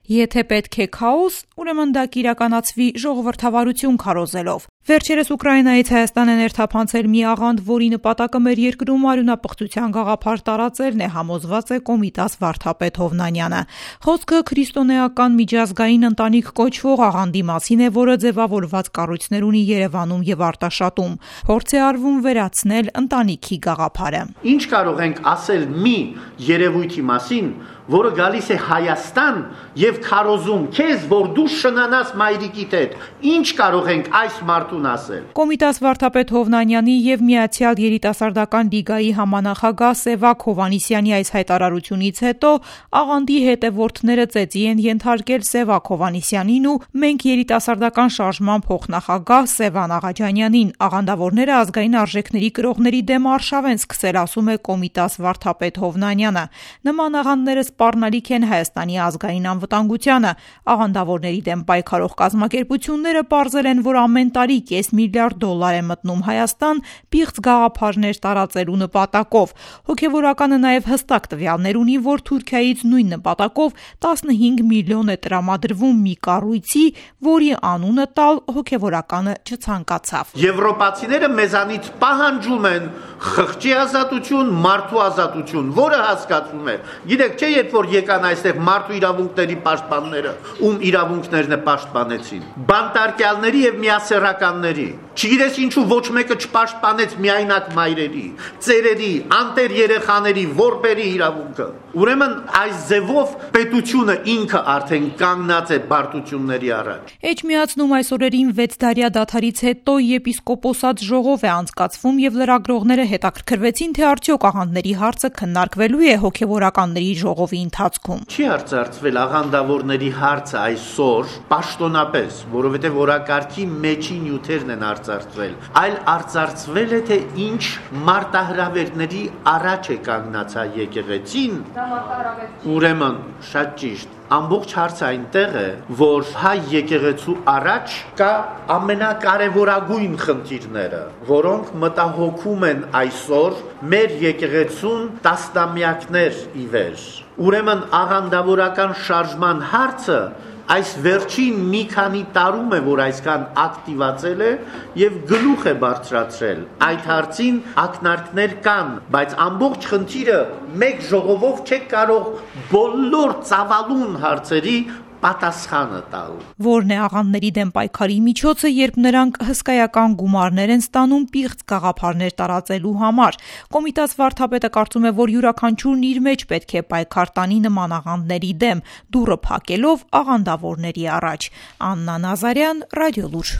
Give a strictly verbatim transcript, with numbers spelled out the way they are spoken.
Եթե պետք է քաոս, ուրեմն դա կիրականացվի ժողովրդավարություն քարոզելով։ Վերջերս Ուկրաինայից Հայաստան է ներթափանցել մի աղանդ, որի նպատակը մեր երկրում արյունապղծության գաղափար տարածելն է, համոզված է Կոմիտաս վարդապետ Հովնանյանը։ Խոսքը քրիստոնեական միջազգային ընտանիք կոչվող աղանդի մասին է, որը ձևավորված կառույցներ ունի Երևանում եւ Արտաշատում։ Փորձ է արվում վերացնել ընտանիքի գաղափարը։ Ինչ կարող ենք ասել մի երևույթի մասին, որը գալիս է Հայաստան եւ քարոզում քեզ, որ դու շնանաս մայրիկիդ հետ։ Ինչ կարող ենք այս մարդուն ասել։ Կոմիտաս վարդապետ Հովնանյանի եւ Միացյալ երիտասարդական լիգայի համանախագահ Սևակ Հովհաննիսյանի այս հայտարարությունից հետո աղանդի հետևորդները ծեծի են ենթարկել Սևակ Հովհաննիսյանին ու Մենք երիտասարդական շարժման փոխնախագահ Սևան Աղաջանյանին։ Աղանդավորները ազգային արժեքների կրողների դեմ արշավ են սկսել, ասում է Կոմիտաս վարդապետ Հովնանյանը։ Նման աղանդները սպառնալիք են Հայաստանի ազգային անվտանգությանը։ Աղանդավորների դեմ պայքարող կազմակերպությունները պարզել են, որ ամեն տարի կես միլիարդ դոլար է մտնում Հայաստան պիղծ գաղափարներ տարածելու նպատակով։ Հոգևորականը նաև հստակ տվյալներ ունի, որ Թուրքիայից նույն նպատակով տասնհինգ միլիոն է տրամադրվում մի կառույցի, որի անունը տալ հոգևորականը չցանկացավ։ Եվրոպացիները մեզանից պահանջում են խղճի ազատություն, մարդու ազատություն, որը հասկացում է։ Գիտեք, չէ, երբ որ եկան այստեղ մարդու իրավունքների պաշտպանները, ում իրավունքներն է պաշտպանեցին, բանտարկյալների եւ միասեռականների, չգիտես ինչու ոչ մեկը չպաշտպանեց միայնակ մայրերի, ծերերի, անտեր երեխաների, որբերի իրավունքը։ Ուրեմն այս ձևով պետությունը ինքը արդեն կանգնած է բարդությունների առաջ։ Էջմիածնում այս օրերին վեց դարյա դադարից հետո եպիսկոպոսատ ժողով է անցկացվում եւ լրագրողները հետաքրքրվեցին, թե արդյոք աղանդների հարցը քննարկվելու է հոգևորականների ժողովի ընթացքում։ Չի արծարծվել աղանդավորների հարցը այսօր պաշտոնապես, որովհետև օրակարգի մեջի նյութերն են արծարծվել, այլ արծարծվել է, թե ինչ մարտահրավերների առաջ է կանգնած հայ եկեղեցին։ Ուրեմն շատ ճիշտ։ Ամբողջ հարցը այնտեղ է, որ հայ եկեղեցու առաջ կա ամենակարևորագույն խնդիրները, որոնք մտահոգում են այսօր մեր եկեղեցուն տասնամյակներ ի վեր։ Ուրեմն աղանդավորական շարժման հարցը այս վերջին մի քանի տարում է, որ այսքան ակտիվացել է եւ գլուխ է բարձրացրել։ Այդ հարցին ակնարկներ կան, բայց ամբողջ խնդիրը մեկ ժողովով չեք կարող բոլոր ծավալուն հարցերի պատասխանը տալ։ Որն է աղանդների դեմ պայքարի միջոցը, երբ նրանք հսկայական գումարներ են ստանում պիղծ գաղափարներ տարածելու համար։ Կոմիտաս վարդապետը կարծում է, որ յուրաքանչյուրն իր մեջ պետք է պայքար տանի նման աղանդների դեմ, դուռը փակելով աղանդավորների առաջ։ Աննա Նազարյան, Ռադիոլուր։